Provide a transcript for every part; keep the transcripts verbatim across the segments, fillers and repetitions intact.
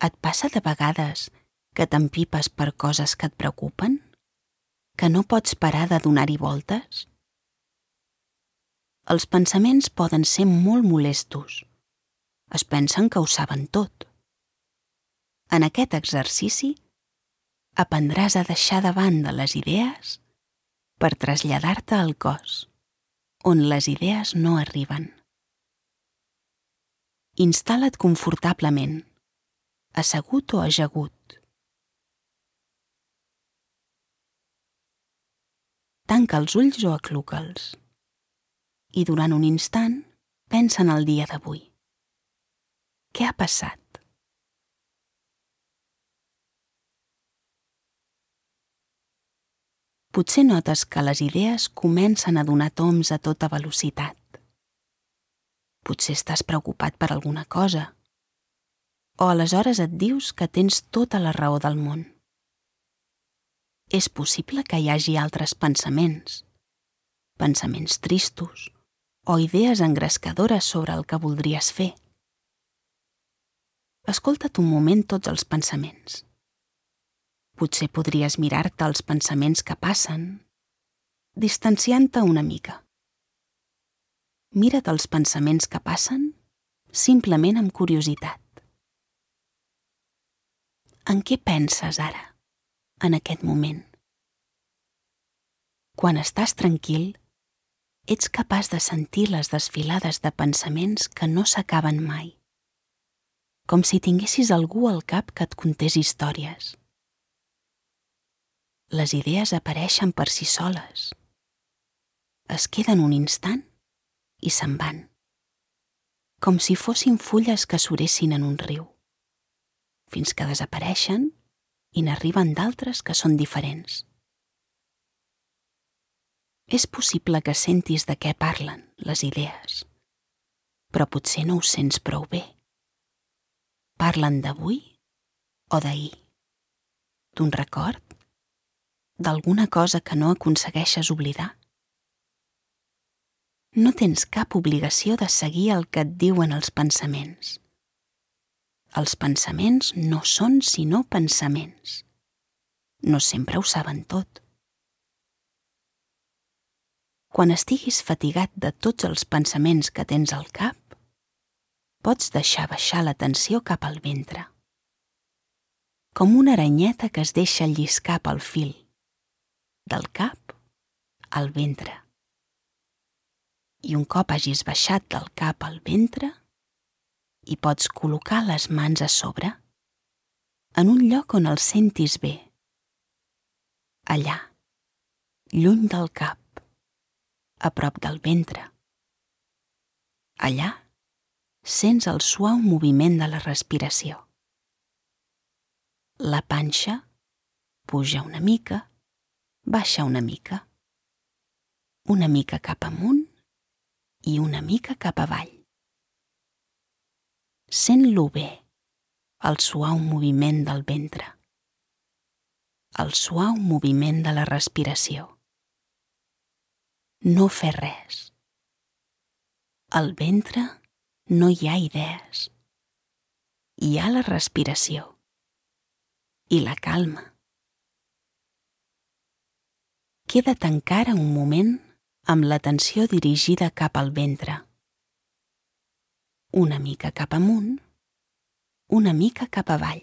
Et passa de vegades que t'empipes per coses que et preocupen? Que no pots parar de donar-hi voltes? Els pensaments poden ser molt molestos. Es pensen que ho saben tot. En aquest exercici aprendràs a deixar de banda les idees per traslladar-te al cos, on les idees no arriben. Instal·la't confortablement, assegut o ajagut. Tanca els ulls o acluca'ls i durant un instant pensa en el dia d'avui. Què ha passat? Potser notes que les idees comencen a donar tombs a tota velocitat. Potser estàs preocupat per alguna cosa, o aleshores et dius que tens tota la raó del món. És possible que hi hagi altres pensaments, pensaments tristos o idees engrescadores sobre el que voldries fer. Escolta't un moment tots els pensaments. Potser podries mirar-te els pensaments que passen, distanciant-te una mica. Mira't els pensaments que passen simplement amb curiositat. En què penses ara, en aquest moment? Quan estàs tranquil, ets capaç de sentir les desfilades de pensaments que no s'acaben mai, com si tinguessis algú al cap que et contés històries. Les idees apareixen per si soles. Es queden un instant i se'n van, com si fossin fulles que suressin en un riu, fins que desapareixen i n'arriben d'altres que són diferents. És possible que sentis de què parlen les idees, però potser no ho sents prou bé. Parlen d'avui o d'ahir, d'un record, d'alguna cosa que no aconsegueixes oblidar. No tens cap obligació de seguir el que et diuen els pensaments. Els pensaments no són sinó pensaments. No sempre ho saben tot. Quan estiguis fatigat de tots els pensaments que tens al cap, pots deixar baixar l'atenció cap al ventre, com una aranyeta que es deixa lliscar pel fil, del cap al ventre. I un cop hagis baixat del cap al ventre, hi pots col·locar les mans a sobre, en un lloc on el sentis bé. Allà, lluny del cap, a prop del ventre. Allà, sents el suau moviment de la respiració. La panxa puja una mica, baixa una mica, una mica cap amunt i una mica cap avall. Sent-lo bé, el suau moviment del ventre, el suau moviment de la respiració. No fer res. Al ventre no hi ha idees. Hi ha la respiració i la calma. Queda't encara un moment amb l'atenció dirigida cap al ventre. Una mica cap amunt, una mica cap avall.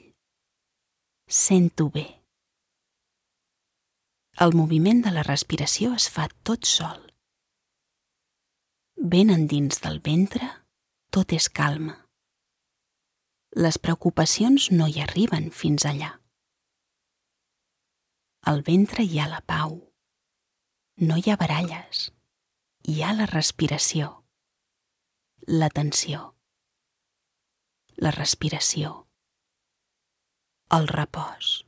Sent-ho bé. El moviment de la respiració es fa tot sol. Ben endins del ventre, tot és calma. Les preocupacions no hi arriben fins allà. Al ventre hi ha la pau. No hi ha baralles. Hi ha la respiració, l'atenció, la respiració, el repòs.